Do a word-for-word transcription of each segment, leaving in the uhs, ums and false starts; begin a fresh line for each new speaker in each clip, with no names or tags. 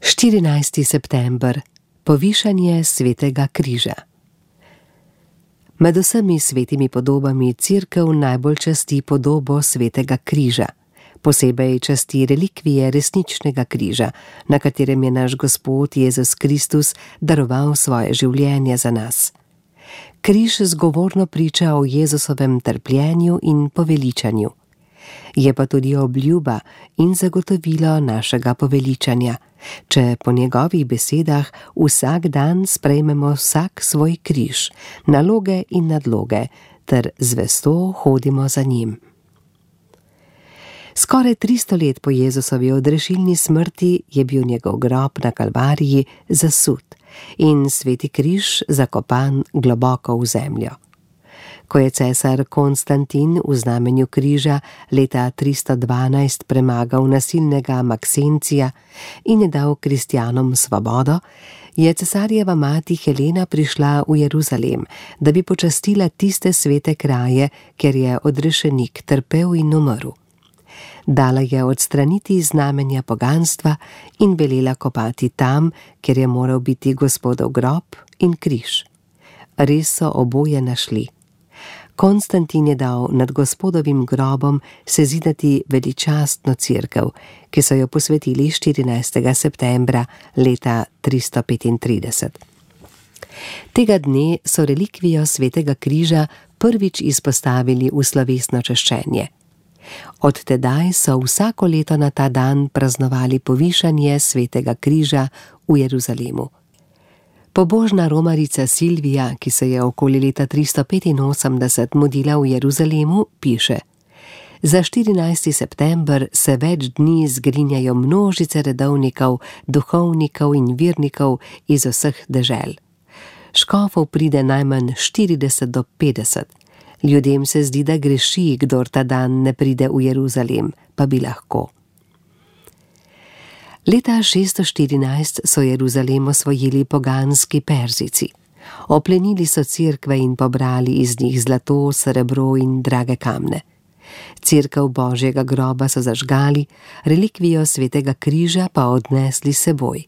štirinajsti september. Povišanje svetega križa. Med vsemi svetimi podobami Cerkev najbolj časti podobo svetega križa. Posebej časti relikvije resničnega križa, na katerem je naš Gospod Jezus Kristus daroval svoje življenje za nas. Križ zgovorno priča o Jezusovem trpljenju in poveličanju. Je pa tudi obljuba in zagotovilo našega poveličanja, če po njegovih besedah vsak dan sprejmemo vsak svoj križ, naloge in nadloge, ter zvesto hodimo za njim. Skoraj tristo let po Jezusovi odrešilni smrti je bil njegov grob na Kalvariji zasut in sveti križ zakopan globoko v zemljo. Ko je cesar Konstantin v znamenju križa leta tristo dvanajst premagal nasilnega Maksencija in je dal kristjanom svobodo, je cesarjeva mati Helena prišla v Jeruzalem, da bi počastila tiste svete kraje, kjer je odrešenik trpel in umrl. Dala je odstraniti znamenja poganstva in velela kopati tam, kjer je moral biti Gospodov grob in križ. Res so oboje našli. Konstantin je dal nad Gospodovim grobom sezidati veličastno cerkev, ki so jo posvetili štirinajstega septembra leta tristo petintrideset. Tega dne so relikvijo svetega križa prvič izpostavili v slovesno čaščenje. Od tedaj so vsako leto na ta dan praznovali povišanje svetega križa v Jeruzalemu. Pobožna romarica Silvija, ki se je okoli leta tristo petinosemdeset mudila v Jeruzalemu, piše: Za štirinajsti september se več dni zgrinjajo množice redovnikov, duhovnikov in virnikov iz vseh dežel. Škofov pride najmanj štirideset do petdeset. Ljudem se zdi, da greši, kdor ta dan ne pride v Jeruzalem, pa bi lahko. Leta šeststo štirinajst so Jeruzalem osvojili poganski Perzijci. Oplenili so cerkve in pobrali iz njih zlato, srebro in drage kamne. Cerkev Božjega groba so zažgali, relikvijo svetega križa pa odnesli s seboj.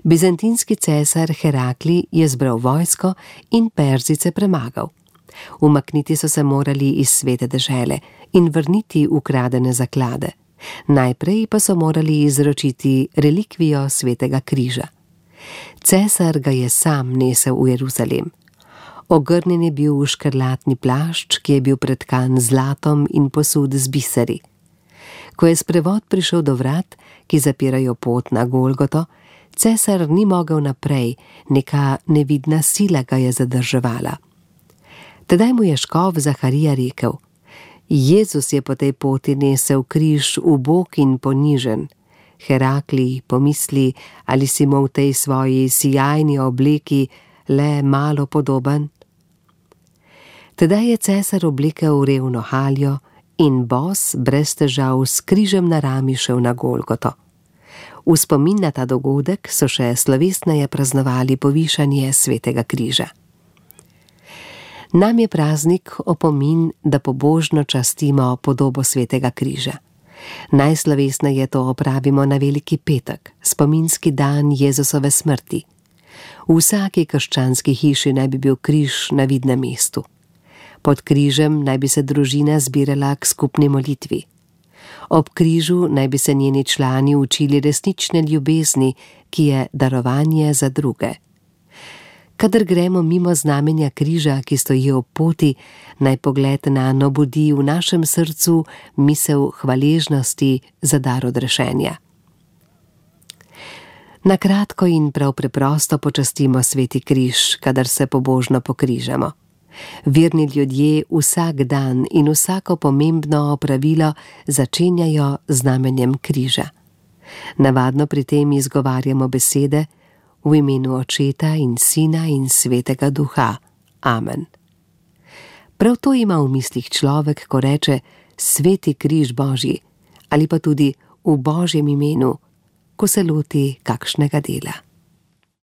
Bizantinski cesar Herakli je zbral vojsko in Perzijce premagal. Umakniti so se morali iz svete dežele in vrniti ukradene zaklade. Najprej pa so morali izročiti relikvijo svetega križa. Cesar ga je sam nesel v Jeruzalem. Ogrnjen je bil v škrlatni plašč, ki je bil pretkan zlatom in posud z biseri. Ko je sprevod prišel do vrat, ki zapirajo pot na Golgoto, cesar ni mogel naprej, neka nevidna sila ga je zadrževala. Tedaj mu je škof Zaharija rekel: Jezus je po tej poti nesel križ ubog in ponižen. Herakli, pomisli, ali si mu v tej svoji sijajni obleki le malo podoben? Tedaj je cesar oblekel revno haljo in bos brez težav s križem na rami šel na Golgoto. V spomin na ta dogodek so še slovesneje praznovali povišanje svetega križa. Nam je praznik opomin, da pobožno častimo podobo svetega križa. Najslovesneje to opravimo na Veliki petek, spominski dan Jezusove smrti. V vsaki krščanski hiši naj bi bil križ na vidnem mestu. Pod križem naj bi se družina zbirala k skupni molitvi. Ob križu naj bi se njeni člani učili resnične ljubezni, ki je darovanje za druge. Kadar gremo mimo znamenja križa, ki stoji ob poti, naj pogled nanj obudi v našem srcu misel hvaležnosti za dar odrešenja. Na kratko in prav preprosto počastimo sveti križ, kadar se pobožno pokrižamo. Verni ljudje vsak dan in vsako pomembno opravilo začenjajo z znamenjem križa. Navadno pri tem izgovarjamo besede: V imenu Očeta in Sina in Svetega Duha. Amen. Prav to ima v mislih človek, ko reče sveti križ Božji, ali pa tudi v Božjem imenu, ko se loti kakšnega dela.